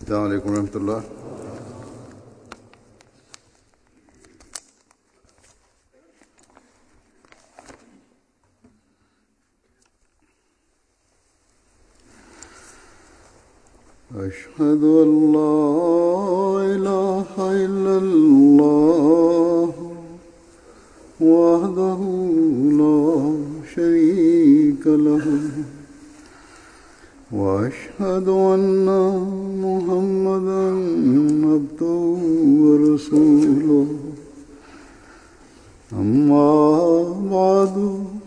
السلام عليكم ورحمة الله. أشهد أن لا إله إلا الله وحده لا شريك له وأشهد أن محمدا عبده ورسوله أما بعد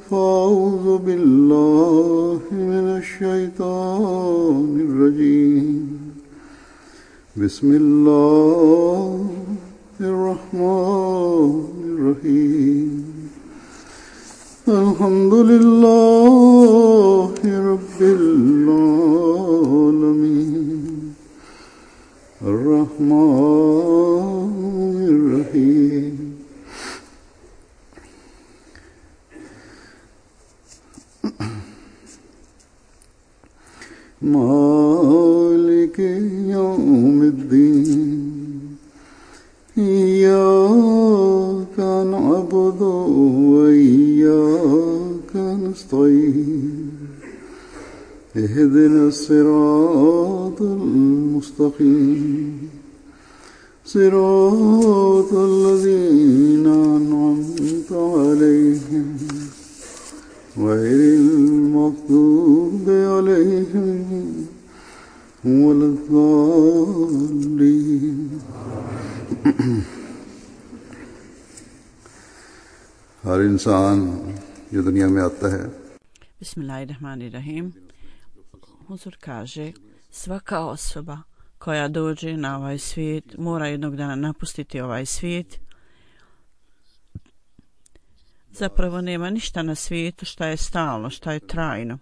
فأعوذ بالله من الشيطان الرجيم بسم الله الرحمن الرحيم الحمد لله رب العالمين الرحمن الرحيم مالك يوم الدين إياك نعبد وإياك نستعين اهدنا الصراط المستقيم صراط الذين أنعمت عليهم غير المغضوب عليهم ولا الضالين. हर इंसान जो दुनिया में आता है Bismillahirrahmanirrahim. Huzur kaže, svaka osoba koja dođe na ovaj svijet mora jednog dana napustiti ovaj svijet. Zapravo nema ništa na svijetu šta je stalno, šta je trajno.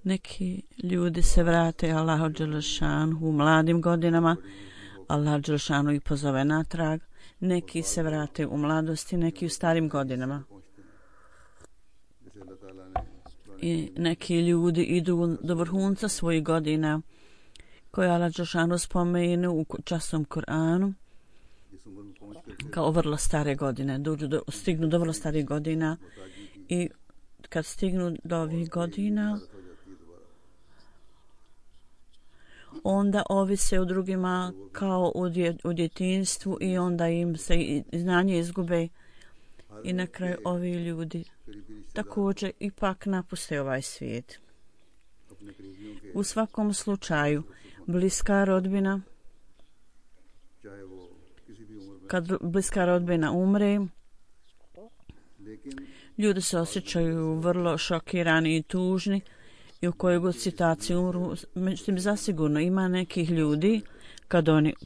Neki ljudi se vrate Allahu dželešanu u mladim godinama, Allah dželešanu ih pozove natrag, neki se vrate u mladosti, neki u starim godinama. I neki ljudi idu do vrhunca svojih godina koje Allah dželešanu spomenu u časnom Kur'anu kao vrlo stare godine, stignu do vrlo starih godina i kad stignu do ovih godina onda ovise o drugima kao u djetinjstvu i onda im se znanje izgube i na kraju ovi ljudi također ipak napuste ovaj svijet. U svakom slučaju bliska rodbina, kad bliska rodbina umre, ljudi se osjećaju vrlo šokirani i tužni i u kojoj god situaciji umru. Međutim, zasigurno ima nekih ljudi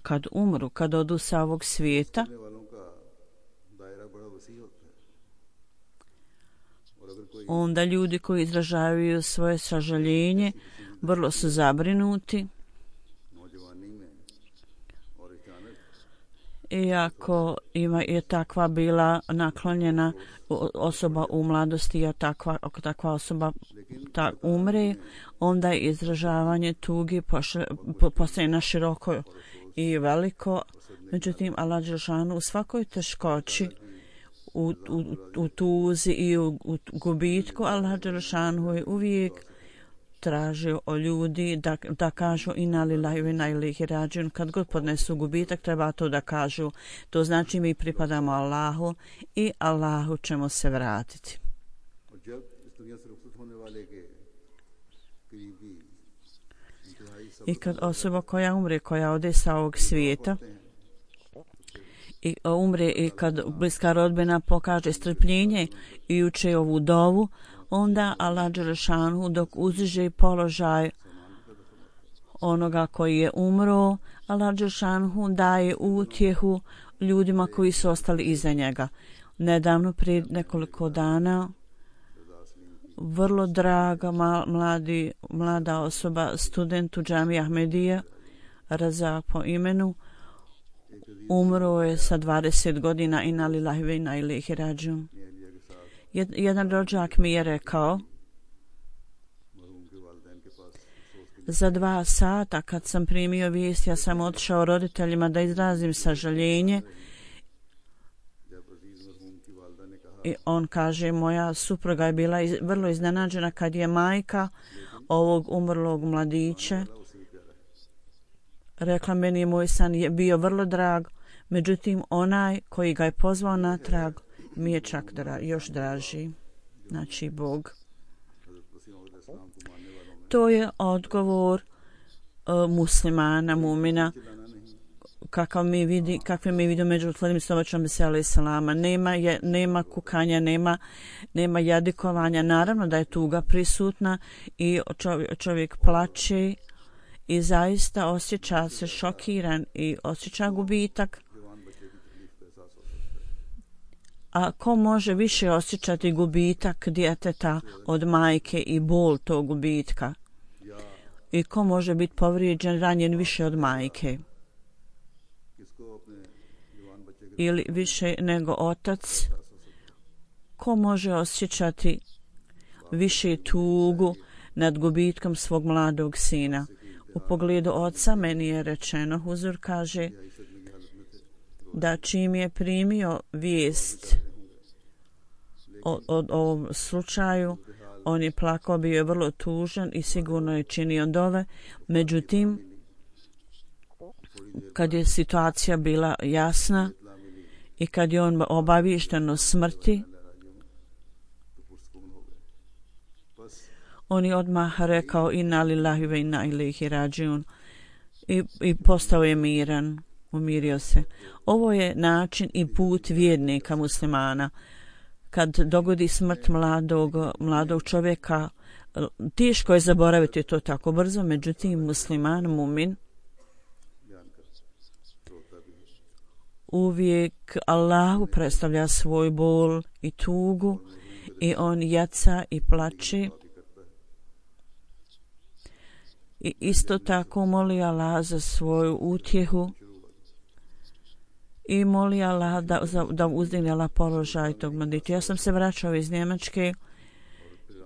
kad umru, kad odu sa ovog svijeta, onda ljudi koji izražavaju svoje sažaljenje vrlo su zabrinuti. Iako je takva bila naklonjena osoba u mladosti, ako takva osoba umre, onda je izražavanje tuge postaje na široko i veliko. Međutim, Allah dželešanu u svakoj teškoći, u tuzi i u gubitku, Allah dželešanu je uvijek tražio o ljudi da kažu inna lillahi wa inna ilaihi rađiun. Kad god podnesu gubitak, treba to da kažu. To znači mi pripadamo Allahu i Allahu ćemo se vratiti. I kad osoba koja umre, koja ode sa ovog svijeta i umre, i kad bliska rodbina pokaže strpljenje i uče ovu dovu, onda Allah dželešanu dok uzdiže položaj onoga koji je umro, Allah dželešanu daje utjehu ljudima koji su ostali iza njega. Nedavno, prije nekoliko dana, vrlo draga mlada osoba, student u džamiji Ahmedija, Razak po imenu, umro je sa 20 godina, inna lillahi wa inna ilaihi rađiun. Jedan rođak mi je rekao Za 2 sata kad sam primio vijest, ja sam otišao roditeljima da izrazim sažaljenje. I on kaže, moja supruga je bila vrlo iznenađena kad je majka ovog umrlog mladića rekla, meni je moj san je bio vrlo drag, međutim onaj koji ga je pozvao natrag mi je čak još draži. Znači Bog. To je odgovor muslimana, mumina, kakve mi vidimo među utvorim stovačom veseli salama. Nema kukanja, nema jadikovanja. Naravno da je tuga prisutna i čovjek plače i zaista osjeća se šokiran i osjeća gubitak. A ko može više osjećati gubitak djeteta od majke i bol tog gubitka? I ko može biti povrijeđen, ranjen više od majke? Ili više nego otac? Ko može osjećati više tugu nad gubitkom svog mladog sina? U pogledu oca meni je rečeno, Huzur kaže, da čim je primio vijest o ovom slučaju, on je plakao, bio je vrlo tužan i sigurno je činio dove. Međutim, kad je situacija bila jasna i kad je on obaviješten o smrti, on je odmah rekao inna lillahi ve inna ilaihi rađiun i postao je miran, umirio se. Ovo je način i put vjernika muslimana. Kad dogodi smrt mladog čovjeka, teško je zaboraviti to tako brzo, međutim musliman, mumin, uvijek Allahu predstavlja svoj bol i tugu i on jaca i plače. I isto tako moli Allah za svoju utjehu i moli Allah da uzdigne Allah položaj tog mladića. Ja sam se vraćao iz Njemačke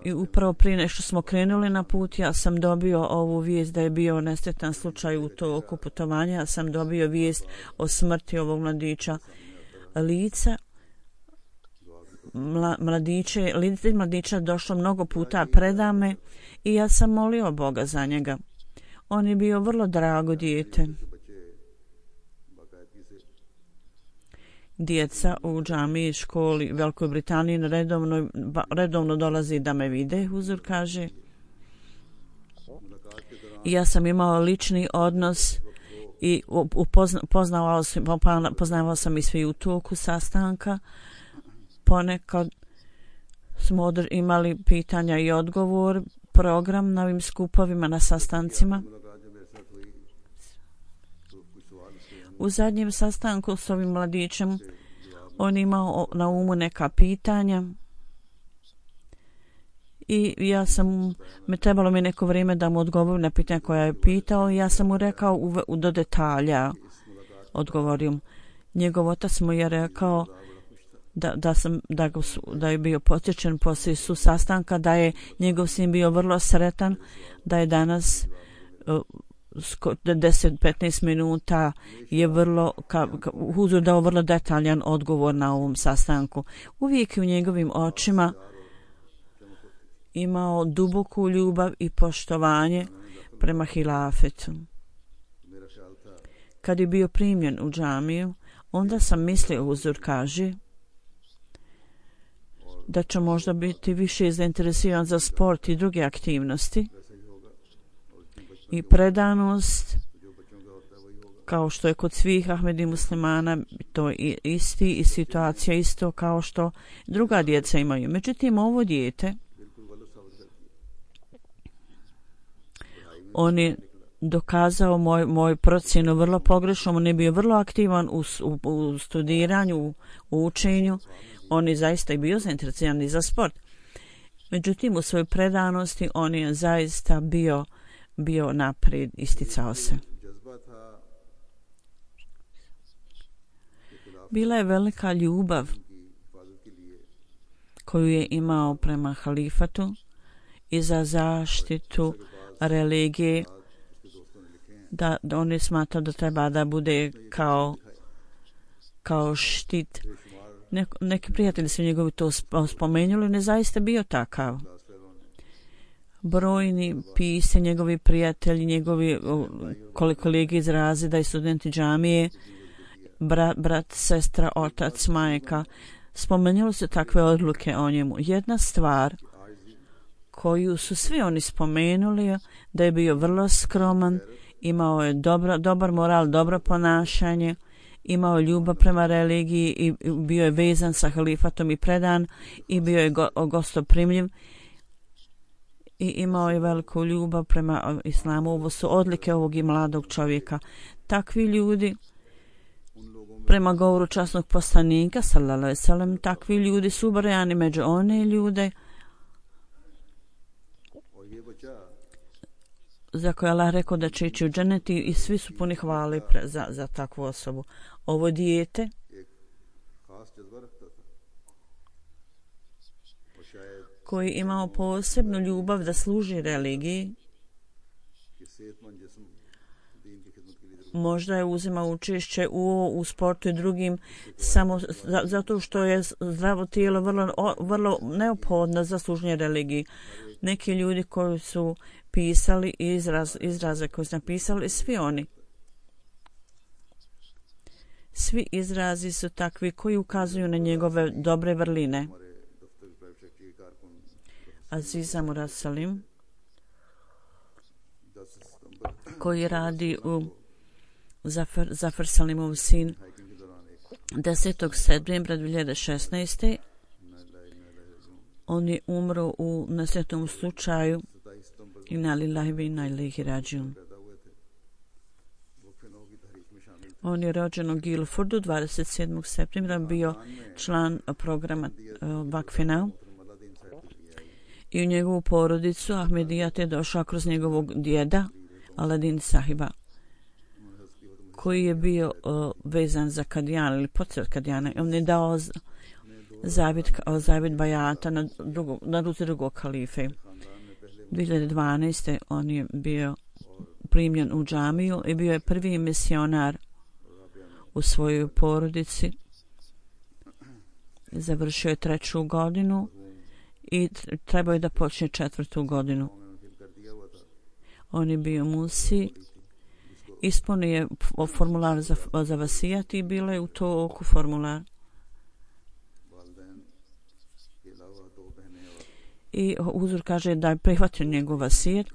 i upravo prije nešto smo krenuli na put, ja sam dobio ovu vijest da je bio nesretan slučaj u toku putovanja. Ja sam dobio vijest o smrti ovog mladića. Lice mladića došlo mnogo puta predame i ja sam molio Boga za njega. On je bio vrlo drago dijete. Djeca u džamiji, školi u Velikoj Britaniji redovno dolazi da me vide, Huzur kaže. I ja sam imao lični odnos i poznavao sam i svi u toku sastanka. Ponekad smo imali pitanja i odgovor, program na ovim skupovima, na sastancima. U zadnjem sastanku s ovim mladićem on imao na umu neka pitanja i trebalo mi neko vrijeme da mu odgovorim na pitanja koja je pitao. Ja sam mu rekao do detalja, odgovorim. Njegov otac mu je rekao da je bio posjećen poslije su sastanka, da je njegov sin bio vrlo sretan, da je danas 10-15 minuta je Huzur dao vrlo detaljan odgovor na ovom sastanku. Uvijek u njegovim očima imao duboku ljubav i poštovanje prema hilafetu. Kad je bio primljen u džamiju, onda sam mislio, Huzur kaže, da će možda biti više zainteresiran za sport i druge aktivnosti i predanost, kao što je kod svih Ahmedi muslimana, to je isti i situacija isto kao što druga djeca imaju. Međutim, ovo dijete, on je dokazao moj procjenu vrlo pogrešno, on je bio vrlo aktivan u studiranju, u učenju, on je zaista i bio zainteresiran i za sport. Međutim, u svojoj predanosti on je zaista bio naprijed, isticao se. Bila je velika ljubav koju je imao prema halifatu i za zaštitu religije, da oni smatraju da treba da bude kao štit. Neki prijatelji su njegovi to spomenuli, ne zaista bio takav. Brojni pise, njegovi prijatelji, njegovi kolege izrazi da i studenti džamije, brat, sestra, otac, majka, spomenuli su takve odluke o njemu. Jedna stvar koju su svi oni spomenuli, da je bio vrlo skroman, imao je dobar moral, dobro ponašanje, imao ljubav prema religiji i bio je vezan sa halifatom i predan i bio je gostoprimljiv i imao je veliku ljubav prema islamu. Ovo su odlike ovog i mladog čovjeka. Takvi ljudi, prema govoru časnog poslanika sallallahu alejhi ve sellem, takvi ljudi su ubrojani među one ljude za koje Allah rekao da će ići u džennet i svi su puni hvale za takvu osobu. Ovo dijete koji imao posebnu ljubav da služi religiji, možda je uzimao učešće u sportu i drugim samo zato što je zdravo tijelo vrlo neophodno za služenje religiji. Neki ljudi koji su pisali izraze koje su napisali, svi izrazi su takvi koji ukazuju na njegove dobre vrline. Aziza Murad Salim, koji radi u Zafar Salimov sin, 10. septembra 2016. On je umro u nesretnom slučaju. Inna lillahi wa inna ilaihi rađiun. On je rođen u Guildfordu 27. septembra, bio član programa Vakfina i u njegovu porodicu Ahmedijat je došao kroz njegovog djeda Aladin Sahiba, koji je bio vezan za Kadijan ili podsjet Kadijana. On je dao zavjet bajata na ruci drugog halife. 2012. on je bio primljen u džamiju i bio je prvi misionar u svojoj porodici. Završio je 3. godinu i trebao je da počne 4. godinu. On je bio musi, ispunio je formular za vasijat i bilo je u to oku formular. I uzor kaže da je prihvatio njegov vasijat,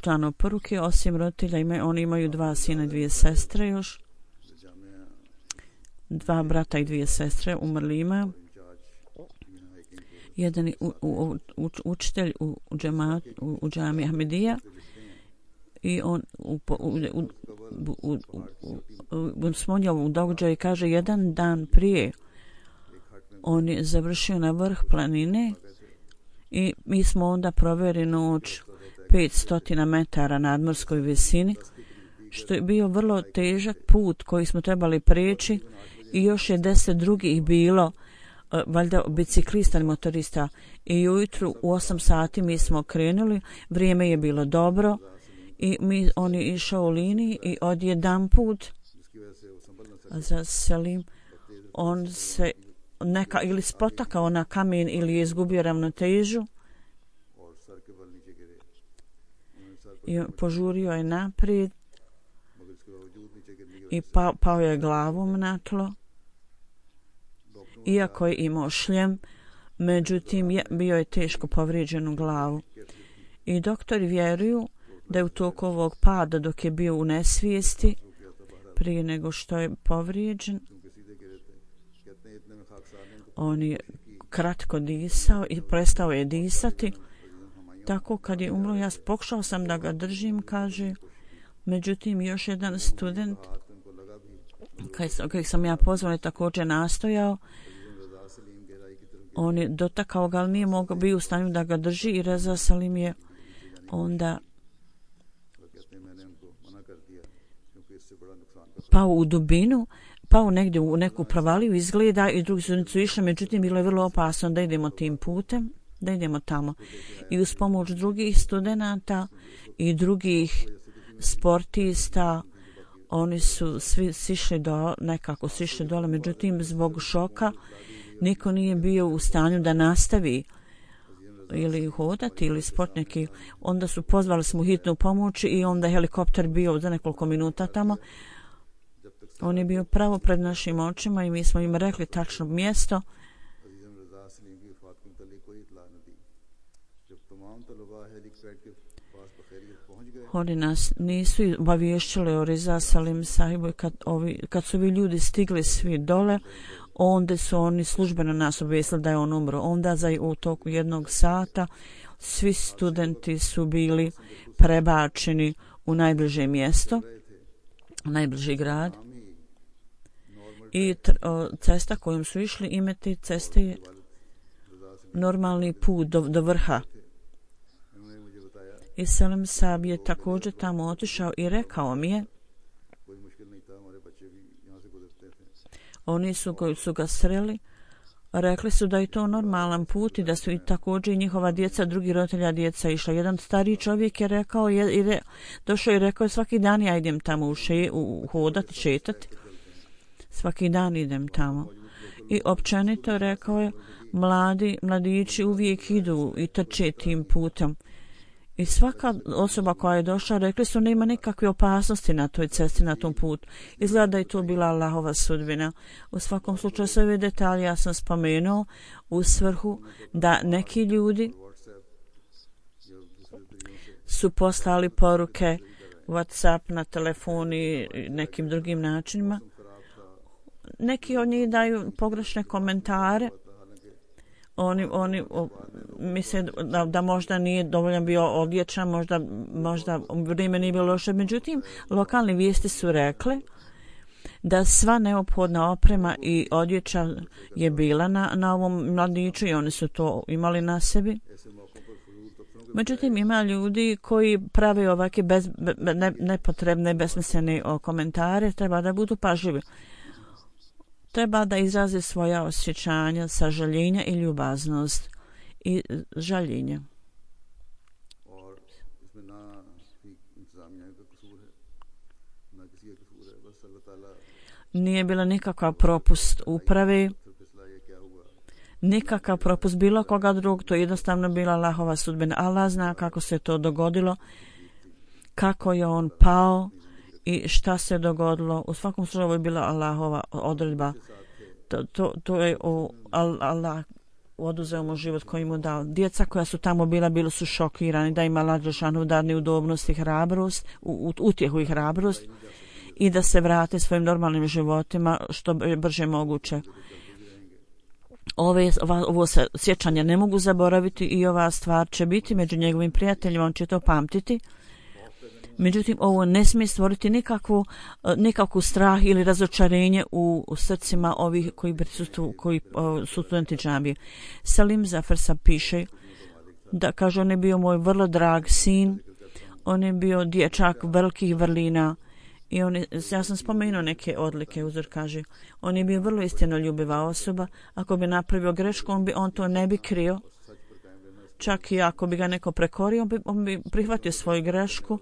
plan oporuke, osim roditelja, oni imaju 2 sina i 2 sestre još. 2 brata i 2 sestre umrli ima. Jedan je učitelj u džami Ahmedija i on smonjao u događaju i kaže jedan dan prije on je završio na vrh planine i mi smo onda proveli noć 500 metara nadmorskoj visini, što je bio vrlo težak put koji smo trebali preći i još je 10 drugih bilo valjda biciklista i motorista i ujutru u 8 sati mi smo krenuli, vrijeme je bilo dobro i on je išao u liniji i odjedan put za Selim on se ili spotakao na kamen ili je izgubio ravnotežu i požurio je naprijed i pao je glavom na tlo, iako je imao šljem, međutim bio je teško povrijeđen u glavu. I doktori vjeruju da je u toku ovog pada dok je bio u nesvijesti prije nego što je povrijeđen, on je kratko disao i prestao je disati. Tako kad je umro, ja pokušao sam da ga držim, kaže. Međutim, još jedan student kojeg sam ja pozvala također nastojao. On je dotakao ga, ali nije mogao bio u stanju da ga drži i Reza Salim je onda pao u dubinu, pao negdje u neku provaliju izgleda i drugi studenti su išli, međutim bilo je vrlo opasno da idemo tim putem. da idemo tamo. I uz pomoć drugih studenata i drugih sportista oni su svi nekako sišli dole, međutim zbog šoka niko nije bio u stanju da nastavi ili hodati ili sport neki. Onda su pozvali smo hitnu pomoć i onda helikopter bio za nekoliko minuta tamo. On je bio pravo pred našim očima i mi smo im rekli tačno mjesto. Oni nas nisu obavješćili o Riza Salim sahibu i kad su ovi ljudi stigli svi dole, onda su oni službeno nas obavijestili da je on umro. Onda u toku 1 sata svi studenti su bili prebačeni u najbliže mjesto, najbliži grad. I cesta kojom su išli imati ceste je normalni put do vrha. I Salim Sahib je također tamo otišao i rekao mi je, oni koji su ga sreli, rekli su da je to normalan put i da su i također i njihova djeca, drugi roditelja djeca išla. Jedan stariji čovjek je rekao, došao i rekao, svaki dan ja idem tamo hodati, šetati. Svaki dan idem tamo. I općenito rekao je, mladići uvijek idu i trče tim putem. I svaka osoba koja je došla, rekli su, nema nikakve opasnosti na toj cesti, na tom putu. Izgleda da je to bila Allahova sudbina. U svakom slučaju sve ove detalje ja sam spomenuo u svrhu da neki ljudi su poslali poruke WhatsApp na telefon i nekim drugim načinima. Neki od njih daju pogrešne komentare. Oni misle da možda nije dovoljno bio odječan, možda vrijeme nije bilo loše. Međutim, lokalne vijesti su rekle da sva neophodna oprema i odjeća je bila na ovom mladiću i oni su to imali na sebi. Međutim, ima ljudi koji prave ovakve nepotrebne, besmislene komentare, treba da budu pažljivi. Treba da izrazi svoja osjećanja, sažaljenja i ljubaznost i žaljenje. Nije bila nikakav propust uprave, nikakav propust bilo koga drugog, to je jednostavno bila Allahova sudbina. Allah zna kako se to dogodilo, kako je on pao i šta se dogodilo. U svakom slučaju je bila Allahova odredba. To je Allah oduzeo mu život koji mu dao. Djeca koja su tamo bili su šokirani da ima Allah dželešanu da neudobnost i hrabrost, utjehu i hrabrost i da se vrate svojim normalnim životima što brže moguće. Ovo sjećanje ne mogu zaboraviti i ova stvar će biti među njegovim prijateljima, on će to pamtiti. Međutim, ovo ne smije stvoriti nikakvu strah ili razočarenje u srcima ovih koji su studenti džamije. Salim Zafarsa piše da, kaže, on je bio moj vrlo drag sin, on je bio dječak velikih vrlina i ja sam spomenuo neke odlike, uzor kaže, on je bio vrlo istinoljubiva osoba, ako bi napravio grešku, on to ne bi krio, čak i ako bi ga neko prekorio, on bi prihvatio svoju grešku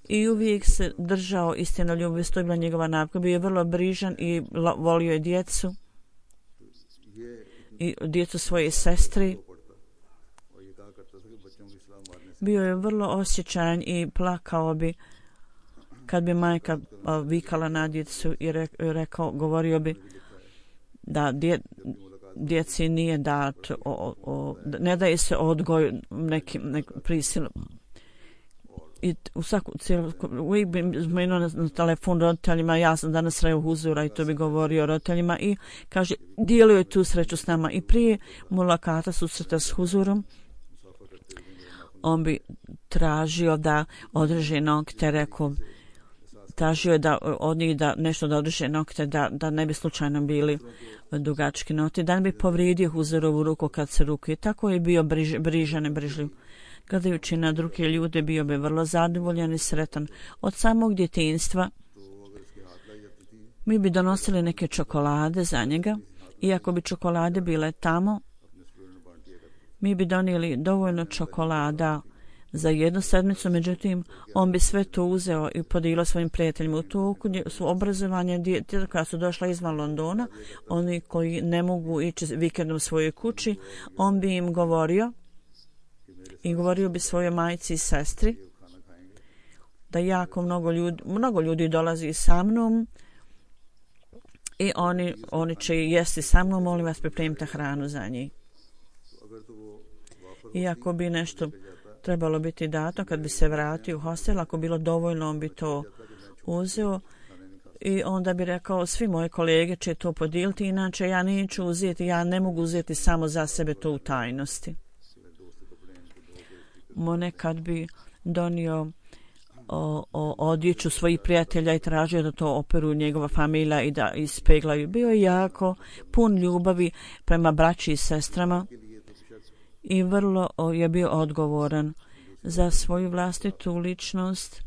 i uvijek se držao istinoljubivosti, to je bila njegova navika. Bio je vrlo brižan i volio je djecu i djecu svoje sestre. Bio je vrlo osjećajan i plakao bi kad bi majka vikala na djecu i govorio bi da djeci nije dat, ne daje se odgoj nekim prisilom. I uvijek bi zmenuo na telefon roditeljima, ja sam danas sreo huzura i to bi govorio roditeljima i kaže, dijelio je tu sreću s nama. I prije mulakata susreta s huzurom, on bi tražio da održe nokte, tražio je od njih da nešto da održe nokte, da ne bi slučajno bili dugački nokti, da ne bi povrijedio huzurovu ruku kad se ruku. I tako je bio brižan i brižljiv. Gledajući na druge ljude, bio bi vrlo zadovoljan i sretan. Od samog djetinjstva mi bi donosili neke čokolade za njega i ako bi čokolade bile tamo, mi bi donijeli dovoljno čokolada za jednu sedmicu, međutim, on bi sve to uzeo i podijelio svojim prijateljima. U toku su obrazovanje djeca koja su došla izvan Londona, oni koji ne mogu ići vikendom u svojoj kući, on bi im govorio i govorio bi svojoj majci i sestri da jako mnogo ljudi dolazi sa mnom i oni će jesti sa mnom, molim vas pripremite hranu za njih. Iako bi nešto trebalo biti dato kad bi se vratio u hostel, ako bilo dovoljno on bi to uzeo i onda bi rekao svi moji kolege će to podijeliti, inače ja neću uzeti, ja ne mogu uzeti samo za sebe to u tajnosti. Nekad bi donio odjeću svojih prijatelja i tražio da to operu njegova familija i da ispeglaju. Bio je jako pun ljubavi prema braći i sestrama i vrlo je bio odgovoran za svoju vlastitu ličnost.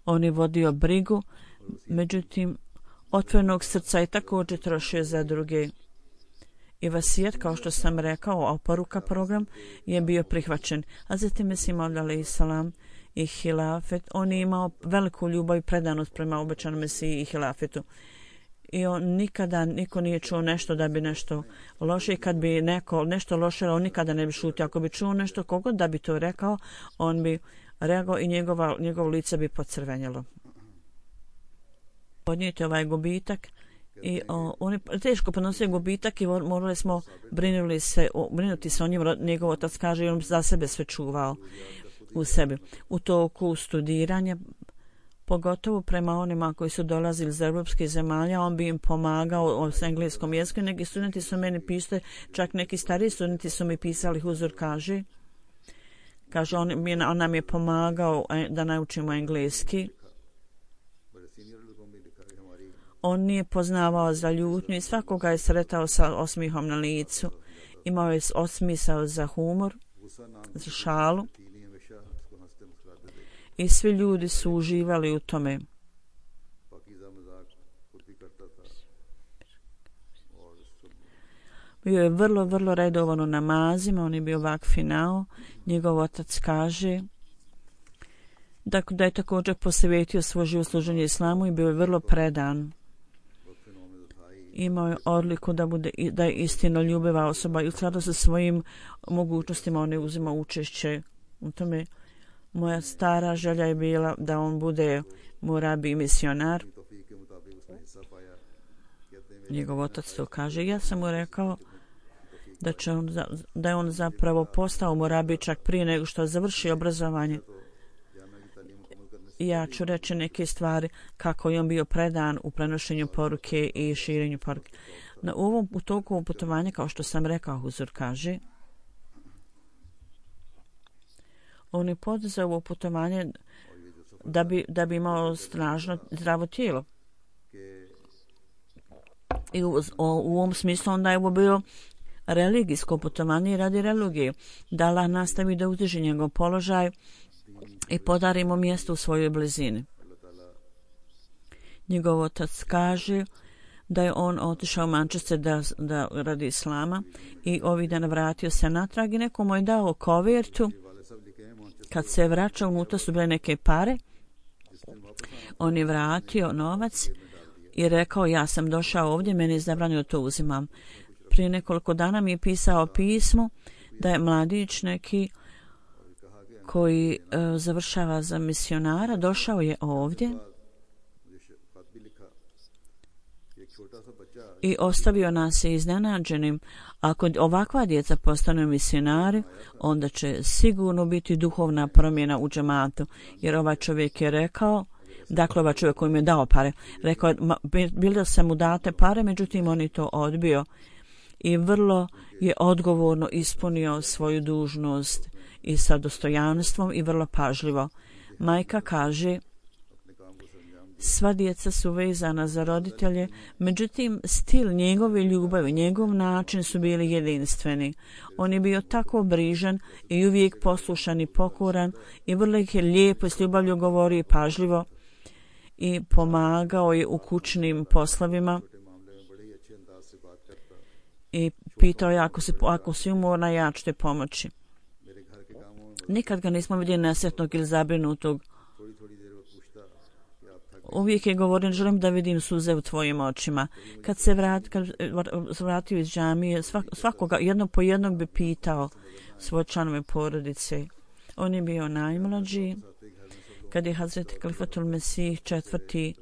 On je vodio brigu, međutim otvorenog srca je također trošio za druge. I vasijet, kao što sam rekao, oporuka program je bio prihvaćen. A zatim mislim alejhi salam i hilafet. On je imao veliku ljubav i predanost prema obećanom Mesiji i hilafetu. I on niko nije čuo nešto da bi nešto loše. I kad bi neko nešto loše, on nikada ne bi šutio. Ako bi čuo nešto kogod da bi to rekao, on bi reagao i njegovo lice bi pocrvenjelo. Podnijeti ovaj gubitak. I on je teško podnosio gubitak i morali smo brinuti se o njim. Njegov otac kaže i on za sebe sve čuvao u sebi. U toku studiranja, pogotovo prema onima koji su dolazili iz europskih zemalja, on bi im pomagao s engleskom jezikom. Neki studenti su meni pisali, čak neki stariji studenti su mi pisali, Huzur kaže on nam je pomagao da naučimo engleski. On nije poznavao za ljutnju i svakoga je sretao sa osmihom na licu. Imao je osmisao za humor, za šalu. I svi ljudi su uživali u tome. Bio je vrlo redovan u namazima, on je bio vakfinao. Njegov otac kaže da je također posvetio svoj život služenju islamu i bio je vrlo predan. Imao je odliku da je istinoljubiva osoba i u skladu sa svojim mogućnostima on je uzimao učešće u tome. Moja stara želja je bila da on bude murabi i misionar. Njegov otac to kaže. Ja sam mu rekao da je on zapravo postao murabi čak prije nego što završi obrazovanje. Ja ću reći neke stvari kako je on bio predan u prenošenju poruke i širenju poruke. U toku putovanja, kao što sam rekao, Huzur kaže, on je poduzeo ovo putovanje da bi imao snažno zdravo tijelo. I u ovom smislu onda je ovo bilo religijsko putovanje i radi religije. Da Allah nastavi da uzdiže njegov položaj i podarimo mjesto u svojoj blizini. Njegov otac kaže da je on otišao u Manchester da radi islama i ovih dana vratio se natrag i neko mu je dao kovertu. Kad se vraćao, unutra su bile neke pare. On je vratio novac i rekao ja sam došao ovdje, meni je zabranjeno to uzimam. Prije nekoliko dana mi je pisao pismo da je mladić neki koji završava za misionara, došao je ovdje i ostavio nas iznenađenim. Ako ovakva djeca postanu misionari, onda će sigurno biti duhovna promjena u džematu. Jer ovaj čovjek je rekao, dakle ovaj čovjek koji mi je dao pare, rekao je, bilo se mu date pare, međutim on je to odbio. I vrlo je odgovorno ispunio svoju dužnost i sa dostojanstvom i vrlo pažljivo. Majka kaže, sva djeca su vezana za roditelje, međutim stil njegove ljubavi, njegov način su bili jedinstveni. On je bio tako brižan i uvijek poslušan i pokoran i vrlo ih je lijepo i s ljubavlju govorio i pažljivo i pomagao je u kućnim poslovima i pitao je ako si umorna ja ću te pomoći. Nikad ga nismo vidjeli nesretnog ili zabrinutog. Uvijek je govorio, želim da vidim suze u tvojim očima. Kad se vratio iz džamije, svakoga jedno po jednog bi pitao svoje članove porodice. On je bio najmlađi. Kad je Hazreti Kalifatul Mesih IV.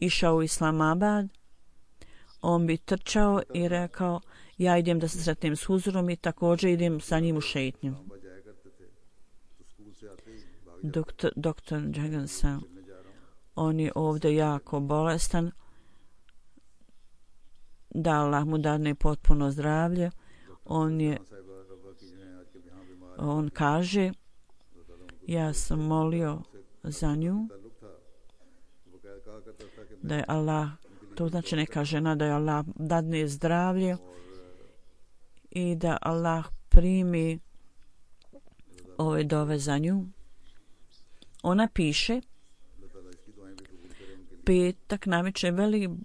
Išao u Islamabad, on bi trčao i rekao, ja idem da se sretnem s Huzurom i također idem sa njim u šetnju. Doktor Jagansa, on je ovdje jako bolestan, da Allah mu dadne potpuno zdravlje. On kaže, ja sam molio za nju, da je Allah, to znači neka žena, da je Allah dadne zdravlje i da Allah primi ove dove za nju. Ona piše, petak navečer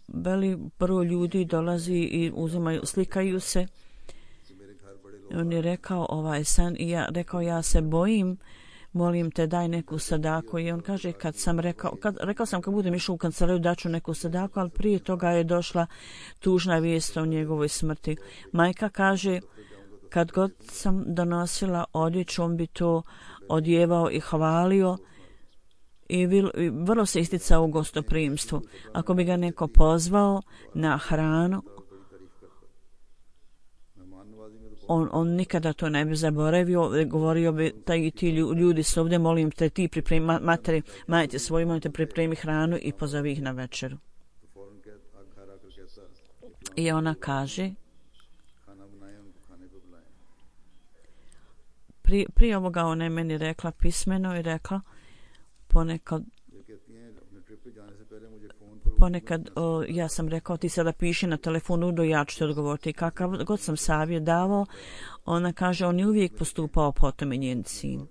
veli broj ljudi dolazi i uzimaju, slikaju se. On je rekao ovaj san i ja rekao, ja se bojim, molim te daj neku sadaku. I on kaže, rekao sam kad budem išao u kancelariju daću neku sadaku, ali prije toga je došla tužna vijest o njegovoj smrti. Majka kaže, kad god sam donosila odjeću, on bi to odjevao i hvalio i vrlo se isticao u gostoprimstvu. Ako bi ga neko pozvao na hranu, on nikada to ne bi zaboravio, govorio bi ti ljudi su ovdje, molim te ti pripremi majte svoju, molim te pripremi hranu i pozovi ih na večeru. I ona kaže, prije ovoga ona je meni rekla pismeno i rekla, ponekad ja sam rekao ti sada piši na telefonu do ja ću ti odgovoriti. Kakav god sam savjet davao, ona kaže on je uvijek postupao potom i njen sin.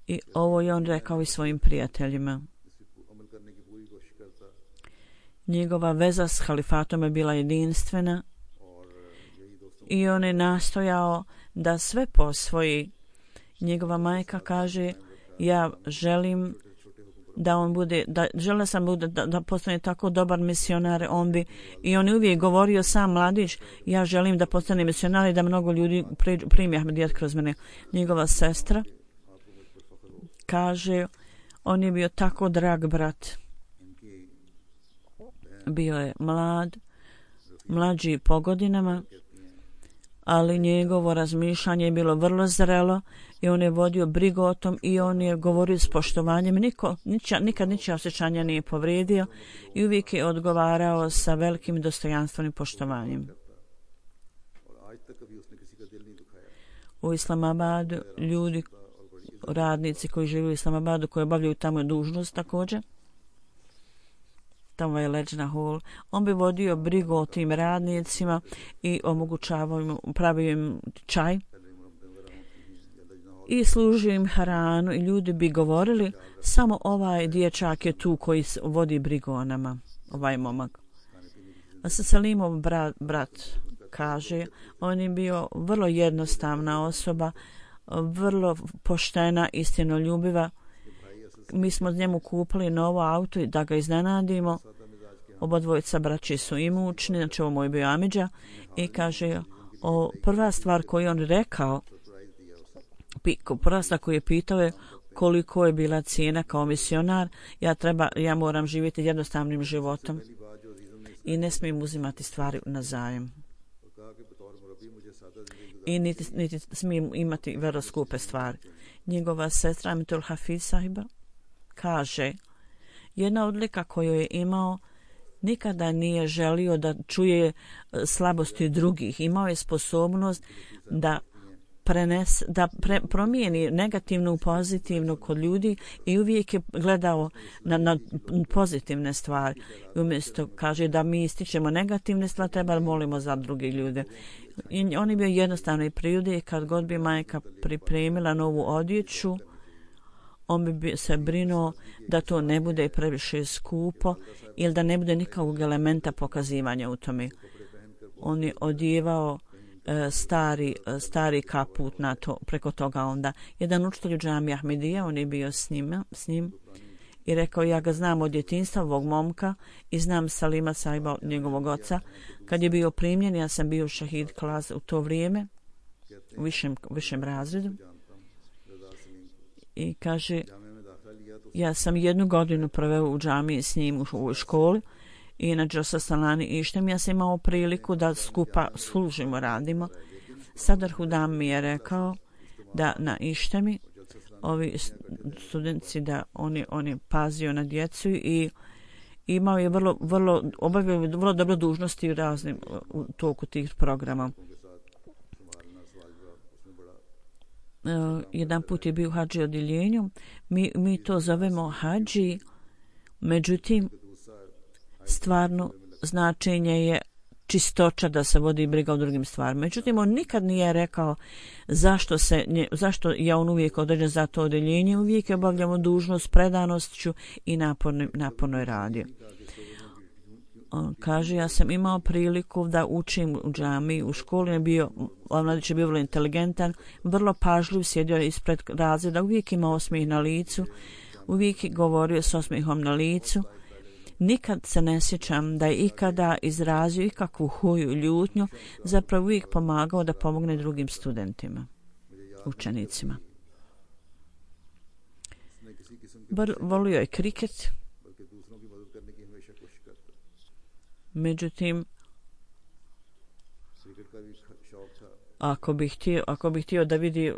I ovo je on rekao i svojim prijateljima. Njegova veza s halifatom je bila jedinstvena i on je nastojao da sve posvoji. Njegova majka kaže, ja želim da on bude, želim sam da postane tako dobar misionar, i on je uvijek govorio sam mladić, ja želim da postane misionar i da mnogo ljudi primi Ahmedijet kroz mene. Njegova sestra kaže, on je bio tako drag brat. Bio je mlađi po godinama, ali njegovo razmišljanje je bilo vrlo zrelo i on je vodio brigu o tom i on je govorio s poštovanjem. Nikad ničija osjećanja nije povrijedio i uvijek je odgovarao sa velikim dostojanstvom i poštovanjem. U Islamabadu ljudi, radnici koji žive u Islamabadu, koji obavljaju tamo dužnost također, tamo je Leđna hol, on bi vodio brigu o tim radnicima i omogućavao im, pravio im čaj i služio im hranu i ljudi bi govorili, samo ovaj dječak je tu koji vodi brigu o nama, ovaj momak. A sa Salimov brat kaže, on je bio vrlo jednostavna osoba, vrlo poštena, istinoljubiva. Mi smo njemu kupili novo auto i da ga iznenadimo. Obodvojica braći su imućni, znači ovo moj bio Amidža, i kaže, prva stvar koju on rekao, prva stvar koju je pitao je koliko je bila cijena kao misionar, ja moram živjeti jednostavnim životom i ne smijem uzimati stvari na zajem. I niti smijem imati vrlo skupe stvari. Njegova sestra Amitul Hafiz sahiba kaže, jedna odlika koju je imao, nikada nije želio da čuje slabosti drugih. Imao je sposobnost da promijeni negativno u pozitivno kod ljudi i uvijek je gledao na pozitivne stvari. I umjesto kaže da mi ističemo negativne stvari, treba molimo za druge ljude. I on je bio jednostavno i prirode i kad god bi majka pripremila novu odjeću, on bi se brinuo da to ne bude previše skupo ili da ne bude nikakvog elementa pokazivanja u tome. On je odjevao stari kaput na to, preko toga onda. Jedan učitelj u džamiji Ahmedija, on je bio s njim i rekao, ja ga znam od djetinjstva, ovog momka, i znam Salima Saiba, njegovog oca. Kad je bio primljen, ja sam bio šahid klas u to vrijeme, u višem razredu. I kaže, ja sam 1 godinu proveo u džamiji s njim u školi i na Džosa Salani Ištem. Ja sam imao priliku da skupa služimo, radimo. Sadar Hudam mi je rekao da na Ištemi ovi studenti, da on je pazio na djecu i imao je obavio vrlo dobro dužnosti u toku tih programa. Jedan put je bio u hadži odjeljenju. Mi to zovemo hadži, međutim stvarno značenje je čistoća, da se vodi briga o drugim stvarima. Međutim, on nikad nije rekao zašto je on uvijek određen za to odjeljenje. Uvijek je obavljamo dužnost predanošću i naporno je radio. On kaže, ja sam imao priliku da učim u džamiji, u školi mladić je bio vrlo inteligentan, vrlo pažljiv, sjedio ispred razreda, uvijek imao osmijeh na licu, uvijek je govorio s osmijehom na licu. Nikad se ne sjećam da je ikada izrazio ikakvu huju, ljutnju, zapravo uvijek pomagao da pomogne drugim studentima, učenicima. Volio je kriket, međutim, ako bi htio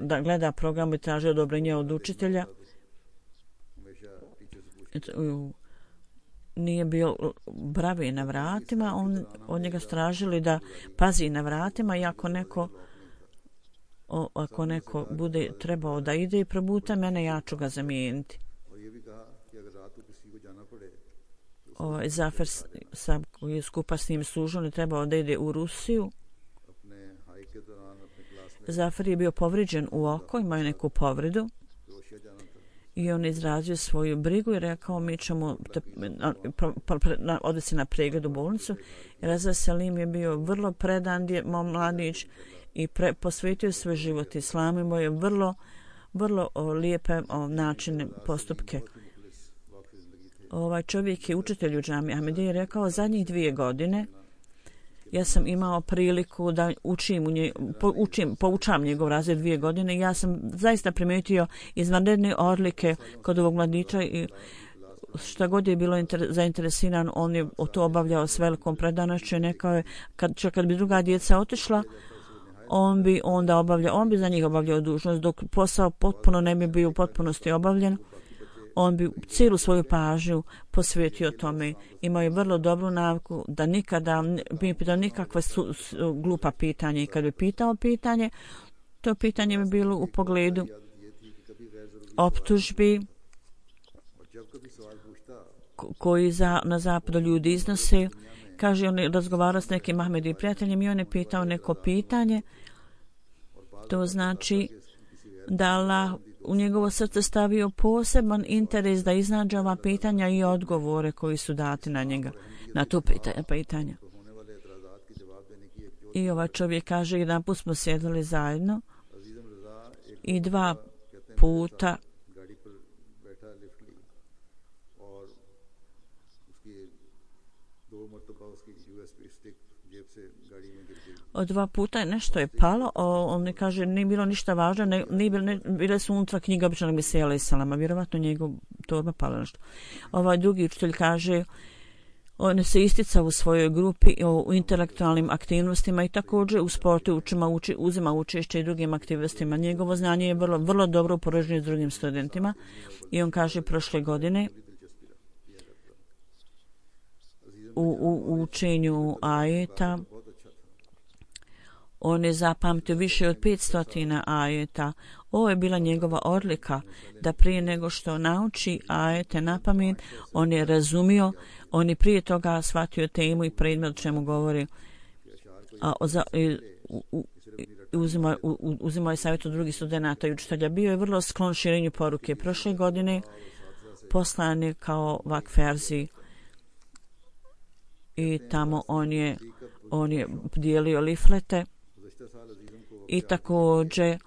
da gleda program i traži odobrenje od učitelja, nije bio bravi na vratima, on njega stražili da pazi na vratima i ako neko bude trebao da ide i probuta mene, ja ću ga zamijeniti. Zafer koji je skupa s njim služio, ne trebao da ide u Rusiju. Zafer je bio povrijeđen u oko, imao je neku povredu i on izrazio svoju brigu i rekao, mi ćemo odvesti na pregled u bolnicu. Raza Salim je bio vrlo predan mladić i posvetio svoj život islamu, imao je vrlo lijepe načine, postupke. Ovaj čovjek je učitelj u džamiji Ahmedije i rekao, zadnjih 2 godine ja sam imao priliku da poučam njegov razred 2 godine. Ja sam zaista primijetio izvanredne odlike kod ovog mladića i šta god je bilo zainteresiran, on je to obavljao s velikom predanošću i nekao je, kad bi druga djeca otišla, on bi za njih obavljao dužnost, dok posao potpuno ne bi bio u potpunosti obavljen. On bi cijelu svoju pažnju posvetio tome. Imao je vrlo dobru naviku da nikada bi pitao nikakve glupa pitanja i kad bi pitao pitanje, to pitanje bi bilo u pogledu optužbi koji na zapadu ljudi iznose. Kaže, on je razgovarao s nekim Ahmedijim prijateljem i on je pitao neko pitanje. To znači da Allah u njegovo srce stavio poseban interes da iznađe ova pitanja i odgovore koji su dati na njega, na to pitanja. I ovaj čovjek kaže, jedan put smo sjedili zajedno i 2 puta od 2 puta nešto je palo, on ne kaže, nije bilo ništa važno, bile su unutra knjiga običanog Mesija alaih salama, vjerovatno njegov torba palo nešto. Ovaj drugi učitelj kaže, on se isticao u svojoj grupi u intelektualnim aktivnostima i također u sportu uzima učešće i drugim aktivnostima. Njegovo znanje je vrlo dobro upoređeno s drugim studentima i on kaže, prošle godine u učenju ajeta on je zapamtio više od 500 ajeta. Ovo je bila njegova odlika, da prije nego što nauči ajete na pamet, on je razumio, on je prije toga shvatio temu i predmet o čemu govori. uzimao je savjet od drugih studenata i učitelja. Bio je vrlo sklon širenju poruke. Prošle godine poslan je kao vakferzi i tamo on je dijelio liflete i također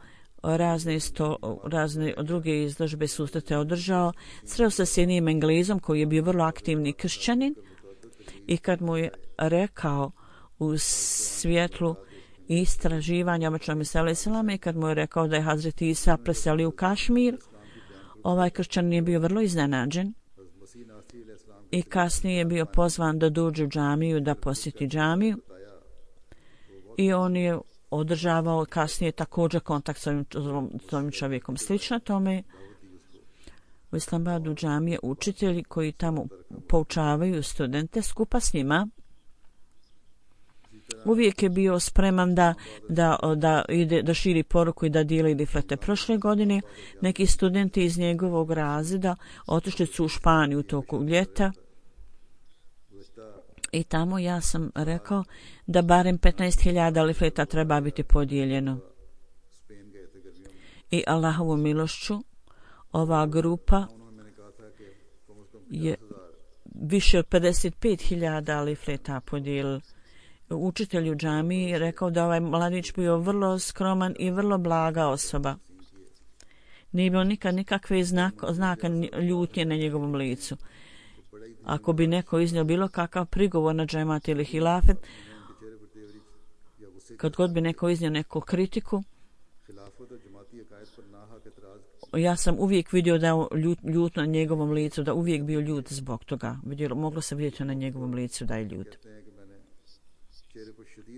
razne druge izložbe susrete održao. Sreo se s jednim Englezom koji je bio vrlo aktivni kršćanin i kad mu je rekao u svjetlu istraživanja obično Mesele Selame i kad mu je rekao da je Hazret Isa preselio u Kašmir, ovaj kršćanin je bio vrlo iznenađen i kasnije je bio pozvan da dođe u džamiju, da posjeti džamiju i on je održavao kasnije također kontakt s ovim čovjekom. Slično tome u Islamabadu džamije učitelji koji tamo poučavaju studente skupa s njima uvijek je bio spreman da širi poruku i da dijeli liflete. Prošle godine neki studenti iz njegovog razreda otišli su u Španiju u toku ljeta i tamo ja sam rekao da barem 15.000 lifleta treba biti podijeljeno. I Allahovu milošću ova grupa je više od 55.000 lifleta podijelila. Učitelj u džamiji rekao da ovaj mladić bio vrlo skroman i vrlo blaga osoba. Nije bilo nikakve znaka ljutnje na njegovom licu. Ako bi neko iznio bilo kakav prigovor na džemat ili hilafet, kad god bi neko iznio neku kritiku, ja sam uvijek vidio da je ljut na njegovom licu, da uvijek bio ljut zbog toga. Moglo se vidjeti na njegovom licu da je ljut.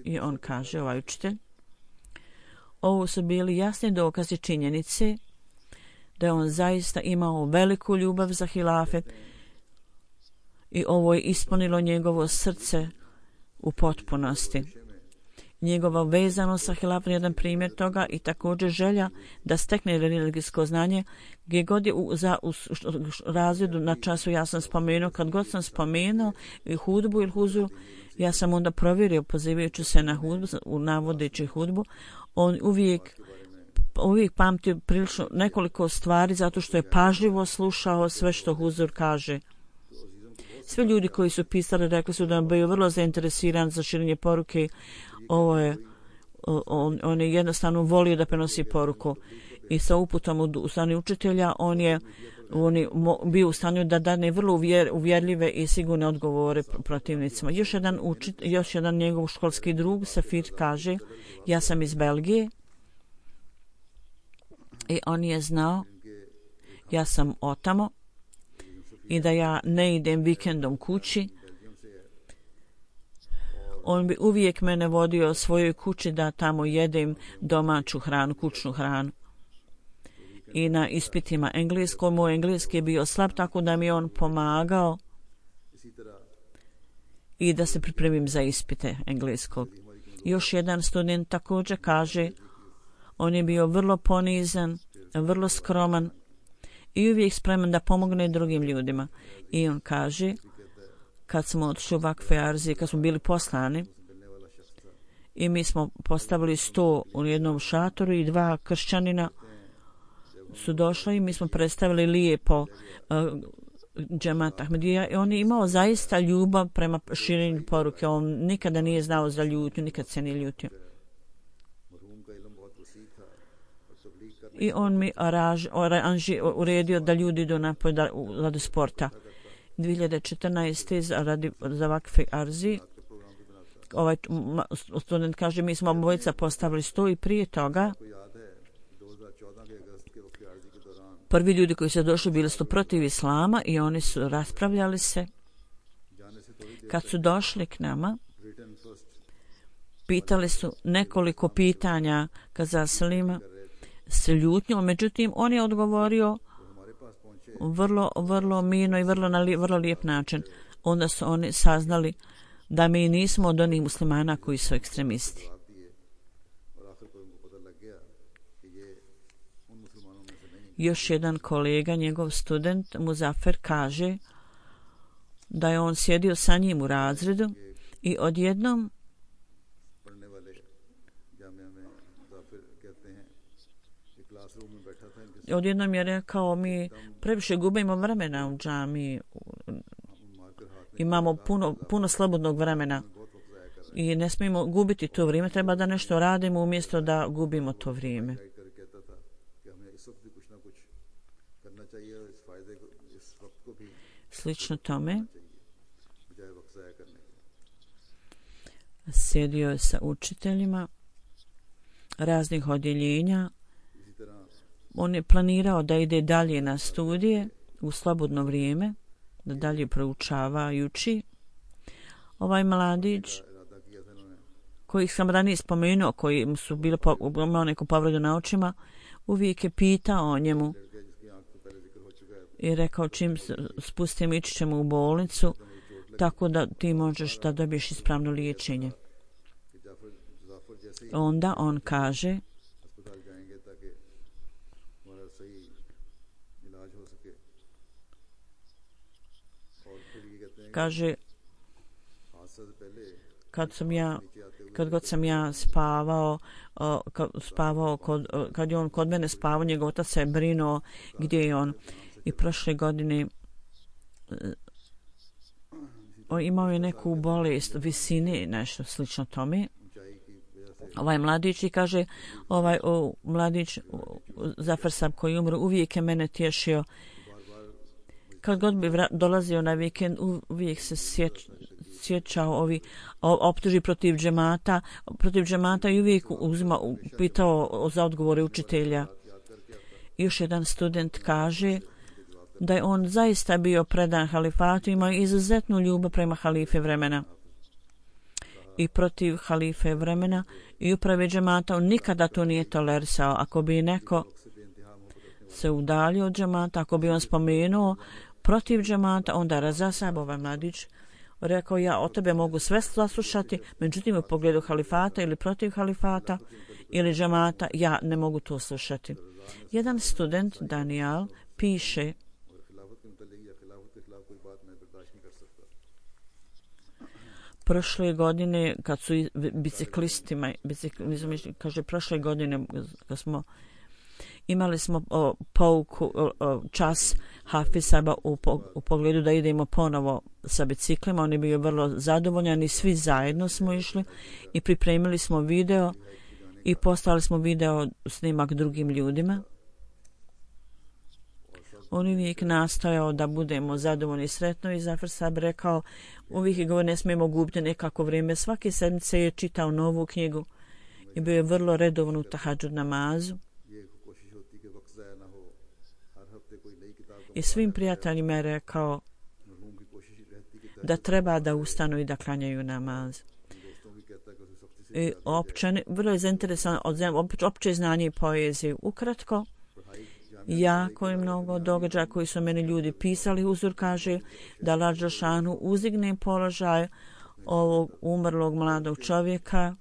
I on kaže, ovaj učitelj, ovo su bili jasni dokazi činjenice da je on zaista imao veliku ljubav za hilafet i ovo je ispunilo njegovo srce u potpunosti. Njegova vezanost sa hilafetom je jedan primjer toga i također želja da stekne religijsko znanje. Gdje god je u razredu na času ja sam spomenuo, kad god sam spomenuo i hudbu ili huzuru, ja sam onda provjerio pozivajući se na hudbu, navodeći hudbu, on uvijek pamtio prilično nekoliko stvari zato što je pažljivo slušao sve što huzur kaže. Svi ljudi koji su pisali rekli su da je bio vrlo zainteresiran za širenje poruke. On je jednostavno volio da prenosi poruku i sa uputom u strani učitelja on je bio u stanju da dane vrlo uvjerljive i sigurne odgovore protivnicima. Još jedan njegov školski drug Safir kaže, ja sam iz Belgije i on je znao, ja sam otamo i da ja ne idem vikendom kući. On bi uvijek mene vodio svojoj kući da tamo jedem domaću hranu, kućnu hranu. I na ispitima engleskog, moj engleski je bio slab, tako da mi je on pomagao i da se pripremim za ispite engleskog. Još jedan student također kaže, on je bio vrlo ponizan, vrlo skroman i uvijek spreman da pomogne drugim ljudima. I on kaže, kad smo otišli u Vakfe Arzi, kad smo bili poslani i mi smo postavili 100 u jednom šatoru i 2 kršćanina su došli i mi smo predstavili lijepo džemat Ahmedija i on je imao zaista ljubav prema širenju poruke. On nikada nije znao za ljutnju, nikad se nije ljutio. I on mi uredio da ljudi idu napoj radi sporta. 2014. za Vakfe Arzi ovaj student kaže, mi smo obojica postavili 100 i prije toga prvi ljudi koji su došli bili su protiv islama i oni su raspravljali se. Kad su došli k nama, pitali su nekoliko pitanja kaza Salima s ljutnjom, međutim on je odgovorio vrlo mirno i vrlo lijep način. Onda su oni saznali da mi nismo od onih muslimana koji su ekstremisti. Još jedan kolega, njegov student Muzafer, kaže da je on sjedio sa njim u razredu i odjednom Odjednom je rekao, mi previše gubimo vremena u džamiji, imamo puno slobodnog vremena i ne smijemo gubiti to vrijeme, treba da nešto radimo umjesto da gubimo to vrijeme. Slično tome, sjedio je sa učiteljima raznih odjeljenja. On je planirao da ide dalje na studije u slobodno vrijeme, da dalje proučava i uči. Ovaj mladić, koji sam ranije spomenuo, koji su imao neku povredu na očima, uvijek je pitao o njemu i rekao, čim spustim, ići ćemo u bolnicu, tako da ti možeš da dobiješ ispravno liječenje. Onda on kaže, kad god sam ja spavao, kad je on kod mene spavao, njegov otac se je brinuo gdje je on. I prošle godine imao je neku bolest visine, nešto slično tome. Ovaj mladić, i kaže, mladić Zafar Sab koji umro, uvijek je mene tješio. Kad god bi dolazio na vikend, uvijek se sjećao ovi optuži protiv džemata i uvijek pitao za odgovore učitelja. Još jedan student kaže da je on zaista bio predan halifatu, imao izuzetnu ljubav prema halife vremena i protiv halife vremena i uprave džemata. On nikada to nije tolerisao. Ako bi neko se udaljio od džemata, ako bi on spomenuo protiv džemata, onda Razasab, ovaj mladić, rekao, ja od tebe mogu sve saslušati, međutim u pogledu halifata ili protiv halifata ili džemata, ja ne mogu to slušati. Jedan student, Daniel, piše, prošle godine kad su biciklistima, kaže, prošle godine kad imali smo pouku, čas Hafisaba u pogledu da idemo ponovo sa biciklima. On je bio vrlo zadovoljan i svi zajedno smo išli i pripremili smo video i poslali smo video snimak drugim ljudima. On uvijek nastojao da budemo zadovoljni i sretno i Zafar Sab rekao, uvijek je govor, ne smijemo gubiti nekako vrijeme. Svake sedmice je čitao novu knjigu i bio je vrlo redovan u tahadžud namazu. I svim prijateljima je rekao da treba da ustanu i da klanjaju namaz. I vrlo je zainteresovan od opće znanje i poezije. Ukratko, jako je mnogo događaja koji su meni ljudi pisali. Huzur kaže da Allah dželešanu uzigne položaj ovog umrlog mladog čovjeka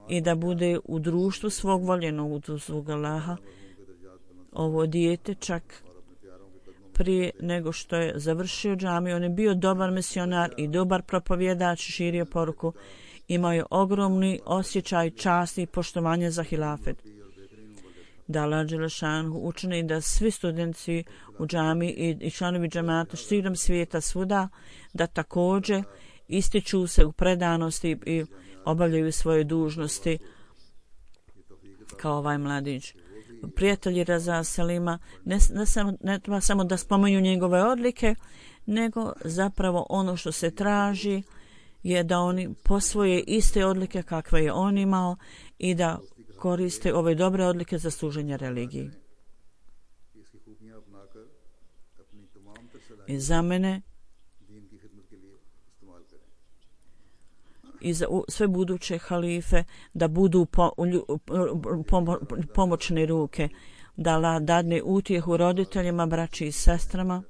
i da bude u društvu svog voljenog, u svog Allaha. Ovo dijete čak prije nego što je završio džamiju, on je bio dobar misionar i dobar propovjedač, širio poruku, imao je ogromni osjećaj časti i poštovanja za hilafet. Da Allah dželešanu učini da svi studenti u džamiji i članovi džemata širom svijeta svuda da također ističu se u predanosti i obavljaju svoje dužnosti kao ovaj mladić. Prijatelji Raza Selima ne treba samo da spomenju njegove odlike, nego zapravo ono što se traži je da oni posvoje iste odlike kakve je on imao i da koriste ove dobre odlike za služenje religiji. I za mene i za sve buduće halife da budu pomoćne ruke, da Allah dadne utjehu roditeljima, braći i sestrama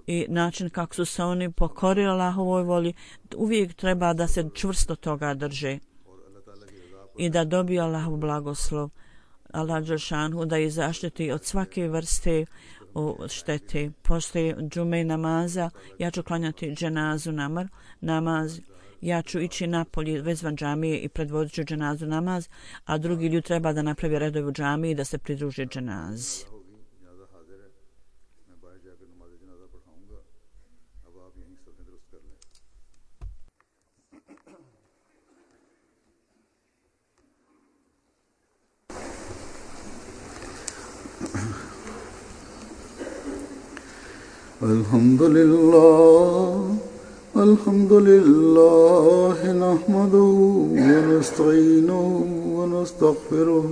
i način kako su se oni pokorili Allahovoj volji. Uvijek treba da se čvrsto toga drže i da dobiju Allahov blagoslov, Allah dželešanu da ih zaštiti od svake vrste štete. Poslije džume namaza ja ću klanjati dženazu namaz. ja ću ići napolje vezvan džamije i predvodit ću dženazu namaz, a drugi ljudi treba da napravi redove u džamiji i da se pridruže dženazi. الحمد لله نحمده ونستعينه ونستغفره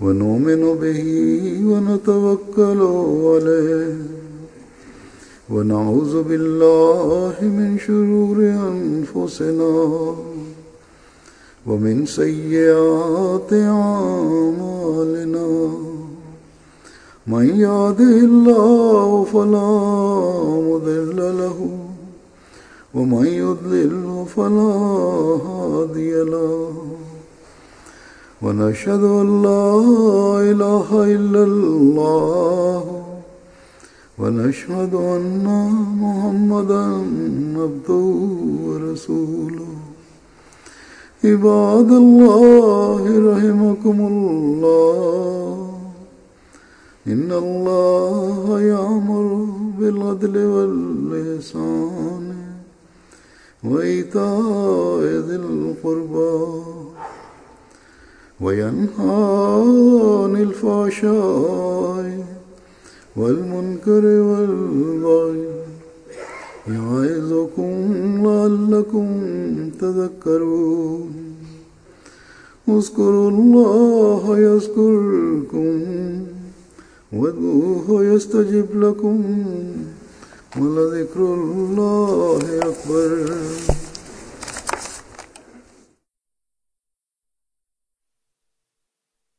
ونؤمن به ونتوكل عليه ونعوذ بالله من شرور أنفسنا ومن سيئات أعمالنا من يهده الله فلا مضل له ومن يضلل فلا هادي له ونشهد أن لا إله إلا الله ونشهد أن محمدا عبده ورسوله عباد الله رحمكم الله إن الله يأمر بالعدل والإحسان وإيتاء ذي القربى وينهى عن الفحشاء والمنكر والبغي يعظكم لعلكم تذكرون اذكروا الله يذكركم وادعوه يستجب لكم ولذكر الله أكبر